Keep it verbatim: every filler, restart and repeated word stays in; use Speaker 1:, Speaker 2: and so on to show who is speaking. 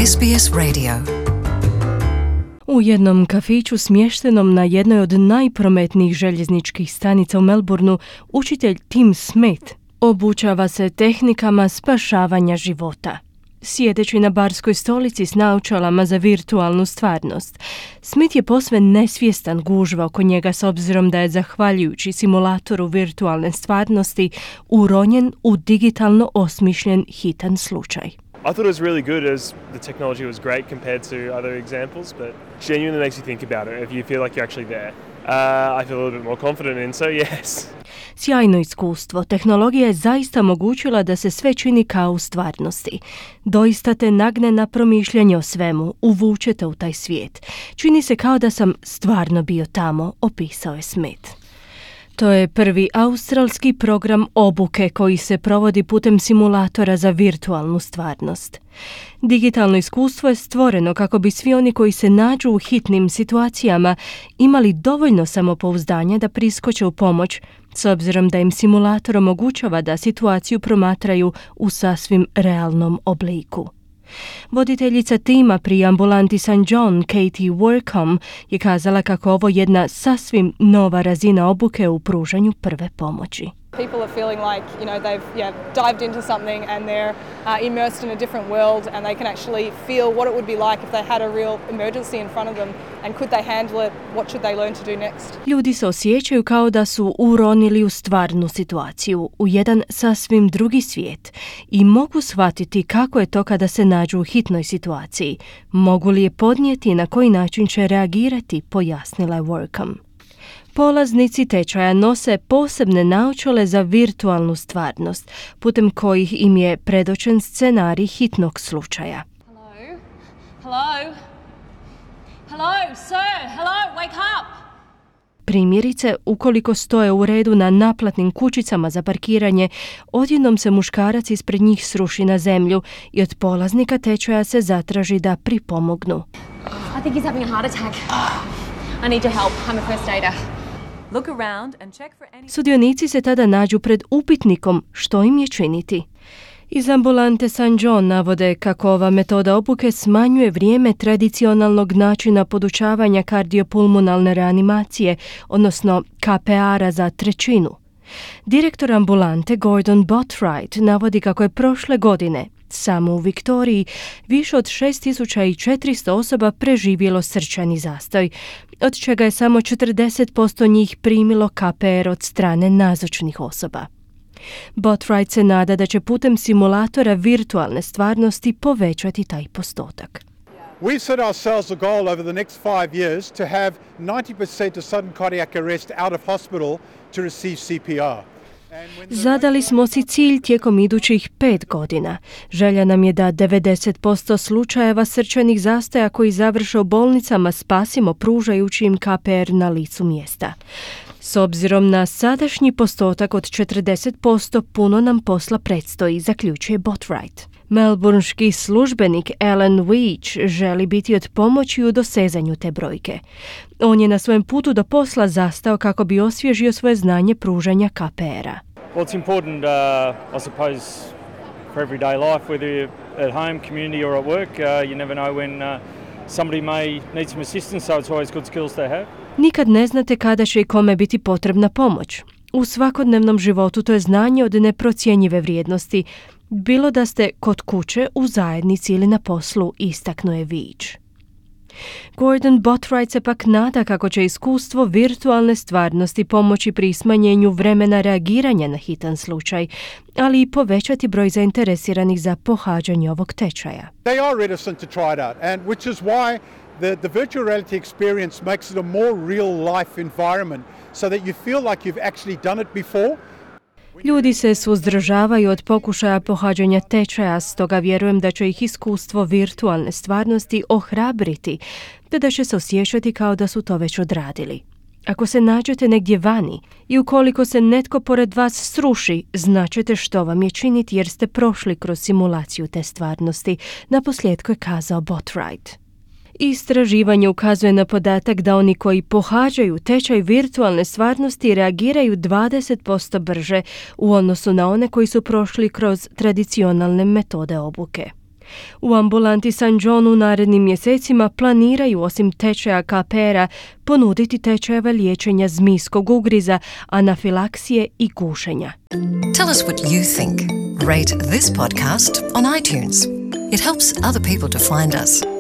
Speaker 1: S B S Radio.
Speaker 2: U jednom kafiću smještenom na jednoj od najprometnijih željezničkih stanica u Melbourneu, učitelj Tim Smith obučava se tehnikama spašavanja života. Sjedeći na barskoj stolici s naočalama za virtualnu stvarnost, Smith je posve nesvjestan gužva oko njega s obzirom da je zahvaljujući simulatoru virtualne stvarnosti uronjen u digitalno osmišljen hitan slučaj.
Speaker 3: I thought it was really good as the technology was great compared to other examples, but genuinely makes you think about it if you feel like you're actually there. Uh, I feel a little bit more confident in, so yes.
Speaker 2: Sjajno iskustvo. Tehnologija je zaista omogućila da se sve čini kao u stvarnosti. Doista te nagne na promišljanje o svemu, uvuče te u taj svijet. Čini se kao da sam stvarno bio tamo, opisao je Smith. To je prvi australski program obuke koji se provodi putem simulatora za virtualnu stvarnost. Digitalno iskustvo je stvoreno kako bi svi oni koji se nađu u hitnim situacijama imali dovoljno samopouzdanja da priskoče u pomoć, s obzirom da im simulator omogućava da situaciju promatraju u sasvim realnom obliku. Voditeljica tima pri ambulanti Saint John, Katie Workham, je kazala kako ovo jedna sasvim nova razina obuke u pružanju prve pomoći.
Speaker 4: People are feeling like, you know, they've yeah, dived into something and they're uh, immersed in a different world and they can actually feel what it would be like if they had a real emergency in front of them and could they handle it, what should they learn to do next.
Speaker 2: Ljudi se osjećaju kao da su uronili u stvarnu situaciju, u jedan sasvim drugi svijet i mogu shvatiti kako je to kada se nađu u hitnoj situaciji. Mogu li je podnijeti i na koji način će reagirati, pojasnila je Workham. Polaznici tečaja nose posebne naočale za virtualnu stvarnost, putem kojih im je predočen scenarij hitnog slučaja.
Speaker 5: Hello? Hello? Hello, sir? Hello, wake up!
Speaker 2: Primjerice, ukoliko stoje u redu na naplatnim kućicama za parkiranje, odjednom se muškarac ispred njih sruši na zemlju i od polaznika tečaja se zatraži da pripomognu.
Speaker 5: I think he's having a heart attack. I need your help. I'm a first aider.
Speaker 6: Look around and check for any...
Speaker 2: Sudionici se tada nađu pred upitnikom što im je činiti. Iz ambulante Saint John navode kako ova metoda obuke smanjuje vrijeme tradicionalnog načina podučavanja kardiopulmonalne reanimacije, odnosno K P R-a za trećinu. Direktor ambulante Gordon Botwright navodi kako je prošle godine samo u Viktoriji više od šest tisuća četiristo osoba preživjelo srčani zastoj, od čega je samo četrdeset posto njih primilo K P R od strane nazočnih osoba. Botwright se nada da će putem simulatora virtualne stvarnosti povećati taj postotak.
Speaker 7: We've set ourselves a goal over the next five years to have ninety percent of sudden cardiac arrest out of hospital to receive C P R.
Speaker 2: Zadali smo si cilj tijekom idućih pet godina. Želja nam je da devedeset posto slučajeva srčanih zastoja koji završe u bolnicama spasimo pružajući im K P R na licu mjesta. S obzirom na sadašnji postotak od četrdeset posto puno nam posla predstoji, zaključuje Botwright. Melbourneški službenik Alan Weech želi biti od pomoći u dosezanju te brojke. On je na svojem putu do posla zastao kako bi osvježio svoje znanje pružanja K P R-a.
Speaker 3: Well, it's important, uh, I suppose, for everyday life, whether you're at home, community or at work. Uh, you never know when uh, somebody may need some assistance, so it's always good skills to have.
Speaker 2: Nikad ne znate kada će i kome biti potrebna pomoć. U svakodnevnom životu to je znanje od neprocjenjive vrijednosti, bilo da ste kod kuće, u zajednici ili na poslu, istaknuje Weech. Gordon Botwright se pak nada kako će iskustvo virtualne stvarnosti pomoći pri smanjenju vremena reagiranja na hitan slučaj, ali i povećati broj zainteresiranih za pohađanje ovog tečaja.
Speaker 7: They are reticent to try it out, and which is why the, the virtual reality experience makes it a more real life environment so that you feel like you've actually done it before.
Speaker 2: Ljudi se suzdržavaju od pokušaja pohađanja tečaja, stoga vjerujem da će ih iskustvo virtualne stvarnosti ohrabriti, te da će se osjećati kao da su to već odradili. Ako se nađete negdje vani i ukoliko se netko pored vas sruši, značite što vam je činiti jer ste prošli kroz simulaciju te stvarnosti, naposljetku je kazao Botwright. Istraživanje ukazuje na podatak da oni koji pohađaju tečaj virtualne stvarnosti reagiraju dvadeset posto brže u odnosu na one koji su prošli kroz tradicionalne metode obuke. U ambulanti San John u narednim mjesecima planiraju osim tečaja K P R-a ponuditi tečajeve liječenja zmijskog ugriza, anafilaksije i gušenja.
Speaker 1: Tell us what you think. Rate this podcast on iTunes. It helps other people to find us.